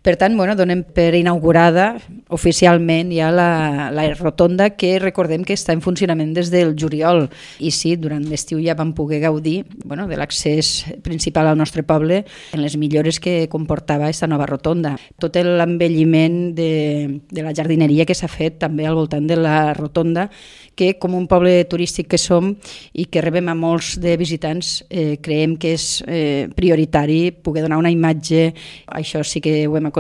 Per tant, donem per inaugurada oficialment ja la rotonda, que recordem que està en funcionament des del juliol. I sí, durant l'estiu ja vam poder gaudir de l'accés principal al nostre poble en les millores que comportava aquesta nova rotonda. Tot l'embelliment de la jardineria que s'ha fet també al voltant de la rotonda, que com un poble turístic que som i que rebem a molts de visitants, creiem que és prioritari poder donar una imatge. Això sí que ho hem aconseguit,